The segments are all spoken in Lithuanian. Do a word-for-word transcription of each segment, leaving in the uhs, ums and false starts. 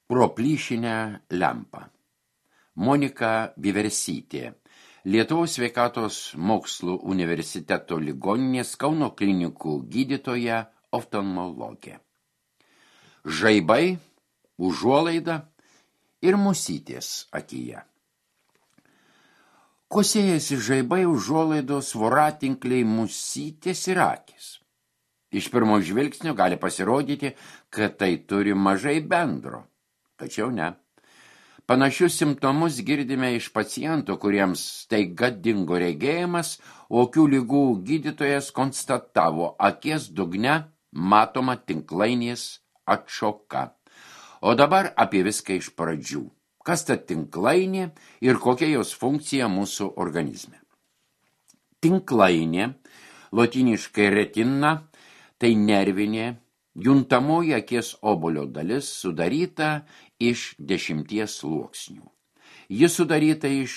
Pro plyšinę lempą. Monika Vieversytė, Lietuvos sveikatos mokslų universiteto ligoninės Kauno klinikų gydytoja oftalmologė. Žaibai, užuolaida ir musytės akyje. Kuo siejasi žaibai, užuolaidos, voratinkliai, musytės ir akys? Iš pirmo žvilgsnio gali pasirodyti, kad tai turi mažai bendro. Tačiau ne. Panašius simptomus girdime iš pacientų, kuriems staiga dingo regėjimas, o akių lygų gydytojas konstatavo akies dugne matoma tinklainės atšoka. O dabar apie viską iš pradžių. Kas ta tinklainė ir kokia jos funkcija mūsų organizme? Tinklainė, lotyniškai retina, tai nervinė, juntamoji akies obuolio dalis sudaryta iš dešimties sluoksnių. Ji sudaryta iš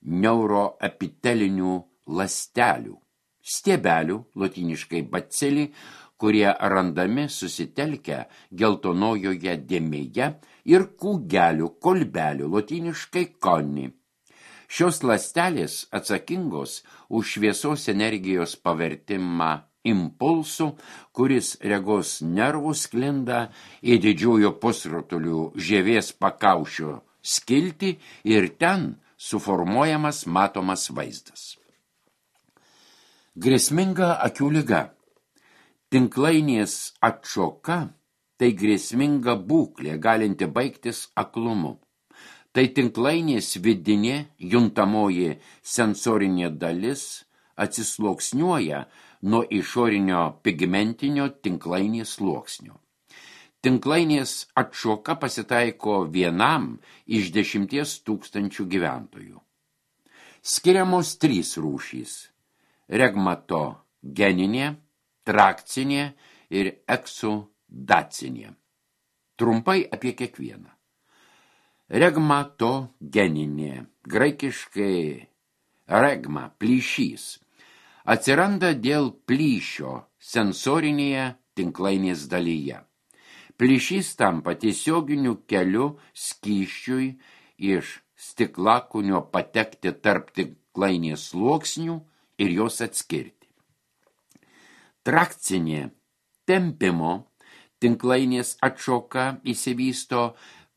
neuroepitelinių ląstelių, stiebelių, lotyniškai bacili, kurie randami susitelkę geltonojoje dėmėje, ir kūgelių, kolbelių, lotyniškai koni. Šios ląstelės atsakingos už šviesos energijos pavertimą impulsų, kuris regos nervų sklinda į didžiųjų pusrutulių žievės pakaušio skiltį ir ten suformuojamas matomas vaizdas. Grėsminga akių liga. Tinklainės atšoka tai grėsminga būklė, galinti baigtis aklumu. Tai tinklainės vidinė juntamoji sensorinė dalis atsisluoksniuoja nuo išorinio pigmentinio tinklainės sluoksnio. Tinklainės atšoka pasitaiko vienam iš dešimties tūkstančių gyventojų. Skiriamos trys rūšys – regmatogeninė, trakcinė ir eksudacinė. Trumpai apie kiekvieną. Regmatogeninė, graikiškai regma, plyšys, atsiranda dėl plyšio sensorinėje tinklainės dalyje. Plyšys tampa tiesioginiu keliu skysčiui iš stiklakūnio patekti tarp tinklainės sluoksnių ir jos atskirti. Trakcinė tempimo tinklainės atšoka įsivysto,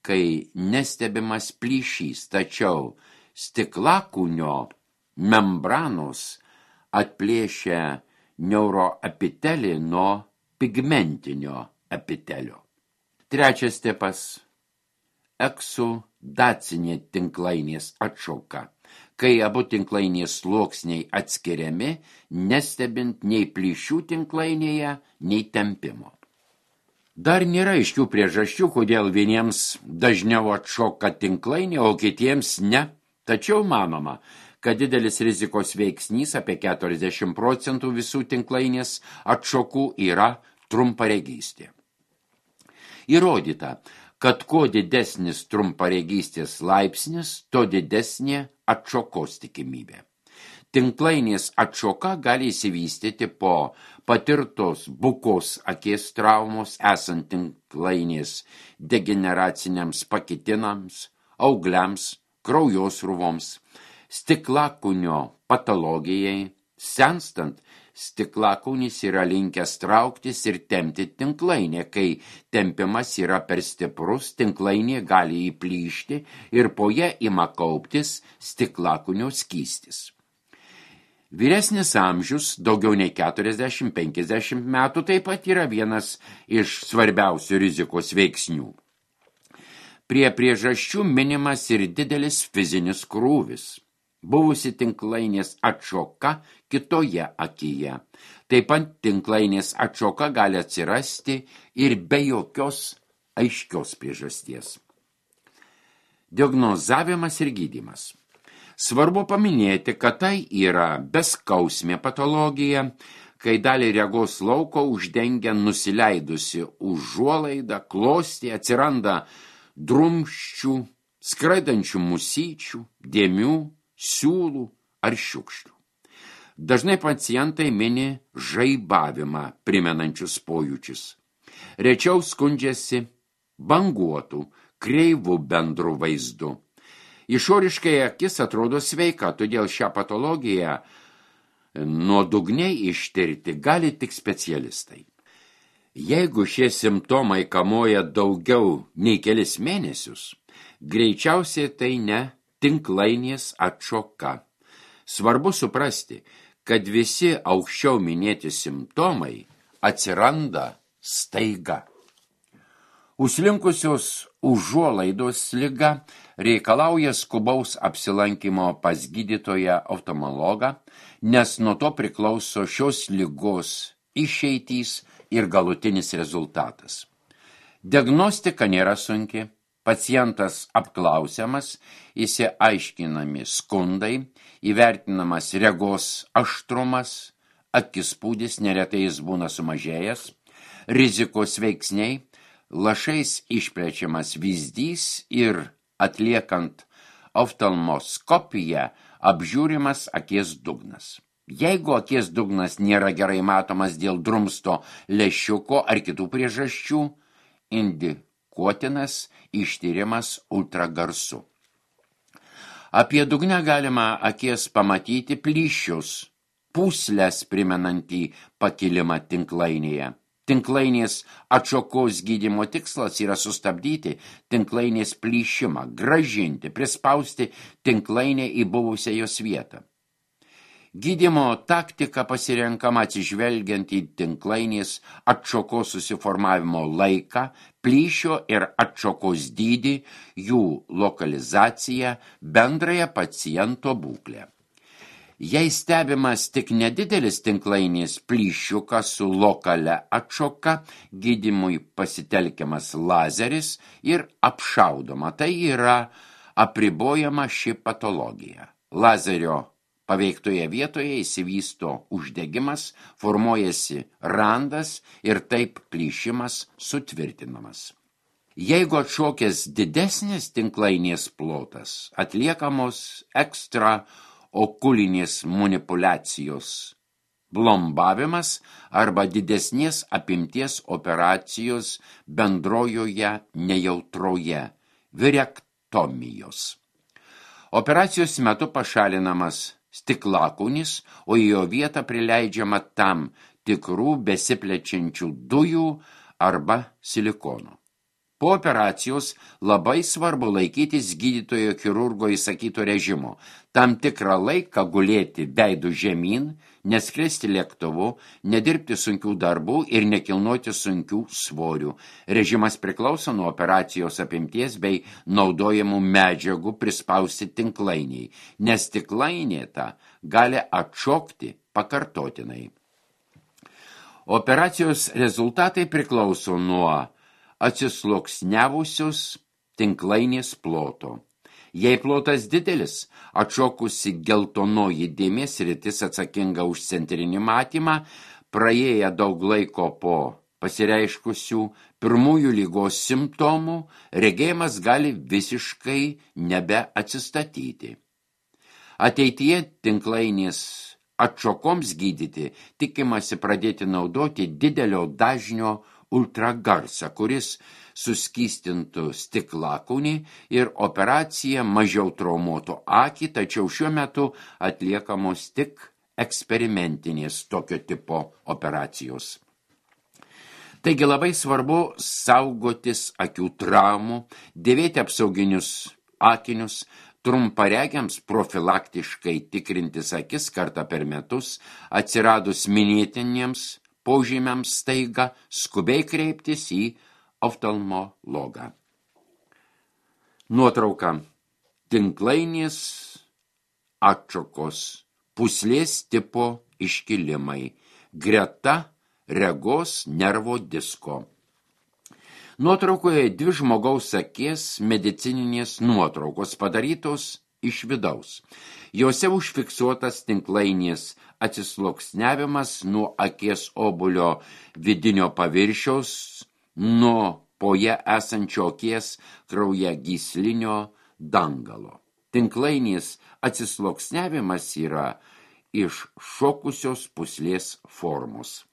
kai nestebimas plyšys, tačiau stiklakūnio membranos atplėšia neuroepitelį nuo pigmentinio epitelio. Trečias tipas – eksudacinė tinklainės atšoka, kai abu tinklainės sluoksniai atskiriami, nestebint nei plyšių tinklainėje, nei tempimo. Dar nėra aiškių priežasčių, kodėl vieniems dažniau atšoka tinklainė, o kitiems ne. Tačiau manoma, kad didelis rizikos veiksnys, apie keturiasdešimt procentų visų tinklainės atšokų, yra trumparegystė. Įrodyta, kad kuo didesnis trumparegystės laipsnis, to didesnė atšokos tikimybė. Tinklainės atšoka gali įsivystyti po patirtos bukos akies traumos, esant tinklainės degeneraciniams pakitinams, augliams, kraujosrūvoms, stiklakūnio patologijai. Senstant, stiklakūnis yra linkęs trauktis ir tempti tinklainę. Kai tempimas yra per stiprus, tinklainė gali įplyšti ir po ją ima kauptis stiklakūnio skystis. Vyresnis amžius, daugiau nei keturiasdešimt penkiasdešimt metų, taip pat yra vienas iš svarbiausių rizikos veiksnių. Prie priežasčių minimas ir didelis fizinis krūvis. Buvusi tinklainės atšoka kitoje akyje. Taip pat tinklainės atšoka gali atsirasti ir be jokios aiškios priežasties. Diagnozavimas ir gydymas. Svarbu paminėti, kad tai yra beskausmė patologija, kai dalį regos lauko uždengia nusileidusi užuolaida, klostė, atsiranda drumsčių, skraidančių musyčių, dėmių, siūlų ar šiukšlių. Dažnai pacientai mini žaibavimą primenančius pojūčius. Rečiau skundžiasi banguotų, kreivų bendrų vaizdų. Išoriškai akis atrodo sveika, todėl šią patologiją nuodugniai ištirti gali tik specialistai. Jeigu šie simptomai kamuoja daugiau nei kelis mėnesius, greičiausiai tai ne tinklainės atšoka. Svarbu suprasti, kad visi aukščiau minėti simptomai atsiranda staiga. Užslinkusios užuolaidos liga reikalauja skubaus apsilankymo pas gydytoją oftalmologą, nes nuo to priklauso šios ligos išeitys ir galutinis rezultatas. Diagnostika nėra sunki, pacientas apklausiamas, įsiaiškinami skundai, įvertinamas regos aštrumas, akispūdis, neretai jis būna sumažėjęs, rizikos veiksniai, lašais išplečiamas vyzdys ir atliekant oftalmoskopiją apžiūrimas akies dugnas. Jeigu akies dugnas nėra gerai matomas dėl drumsto lęšiuko ar kitų priežasčių, indikuotinas ištyrimas ultragarsu. Apie dugnę galima akies pamatyti plyšius, pūslės primenantį pakilimą tinklainėje. Tinklainės atšokos gydymo tikslas yra sustabdyti tinklainės plyšimą, grąžinti, prispausti tinklainę į buvusią jos vietą. Gydymo taktika pasirenkama atsižvelgiant į tinklainės atšokos susiformavimo laiką, plyšio ir atšokos dydį, jų lokalizaciją, bendrąją paciento būklę. Jei stebimas tik nedidelis tinklainės plyšiukas su lokalia atšoka, gydymui pasitelkiamas lazeris ir apšaudoma. Tai yra apribojama ši patologija. Lazerio paveiktoje vietoje įsivysto uždegimas, formuojasi randas ir taip plyšimas sutvirtinamas. Jeigu atšokęs didesnis tinklainės plotas, atliekamos ekstra okulinės manipulacijos, blombavimas arba didesnės apimties operacijos bendrojoje nejautroje, virektomijos. Operacijos metu pašalinamas stiklakūnis, o į jo vietą prileidžiama tam tikrų besiplečiančių dujų arba silikono. Po operacijos labai svarbu laikytis gydytojo chirurgo įsakyto režimo, tam tikrą laiką gulėti veidu žemyn, neskristi lėktuvu, nedirbti sunkių darbų ir nekilnoti sunkių svorių. Režimas priklauso nuo operacijos apimties bei naudojamų medžiagų prispausti tinklainiai, nes tinklainė ta gali atšokti pakartotinai. Operacijos rezultatai priklauso nuo atsisluoksniavusios tinklainės ploto. Jei plotas didelis, atšokusi geltonoji dėmės sritis atsakinga už centrinį matymą, praėję daug laiko po pasireiškusių pirmųjų ligos simptomų, regėjimas gali visiškai nebeatsistatyti. Ateityje tinklainės atšokoms gydyti tikimasi pradėti naudoti didelio dažnio ultragarsą, kuris suskystintų stiklakūnį ir operacija mažiau traumuotų akį, tačiau šiuo metu atliekamos tik eksperimentinės tokio tipo operacijos. Taigi labai svarbu saugotis akių traumų, dėvėti apsauginius akinius, trumparegiams profilaktiškai tikrintis akis kartą per metus, atsiradus minėtiniems požymiams staiga skubiai kreiptis į oftalmologą. Nuotrauka. Tinklainės atšokos, pūslės tipo iškilimai, greta regos nervo disko. Nuotraukoje dvi žmogaus akies medicininės nuotraukos padarytos iš vidaus. Jose užfiksuotas tinklainės atsisluoksniavimas nuo akies obuolio vidinio paviršiaus, nuo poje esančio akies kraujagyslinio dangalo. Tinklainės atsisluoksniavimas yra iš šokusios pūslės formos.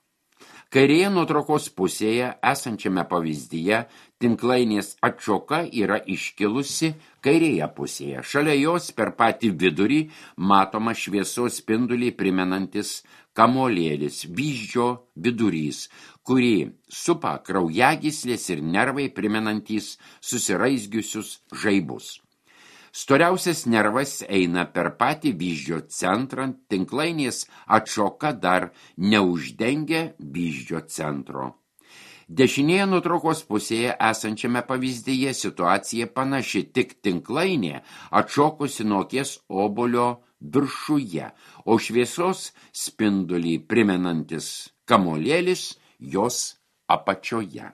Kairėje nuotraukos pusėje esančiame pavyzdyje Tinklainės atšoka yra iškilusi kairėje pusėje. Šalia jos per patį vidurį matoma šviesos spindulį primenantis kamuolėlis, vyzdžio vidurys, kurį supa kraujagyslės ir nervai primenantys susiraizgiusius žaibus. Storiausias nervas eina per patį vyzdžio centrą, tinklainės atšoka dar neuždengia vyzdžio centro. Dešinėje nuotraukos pusėje esančiame pavyzdyje situacija panaši, tik tinklainė atšokusi nuo akies obuolio viršuje, o šviesos spindulį primenantis kamuolėlis jos apačioje.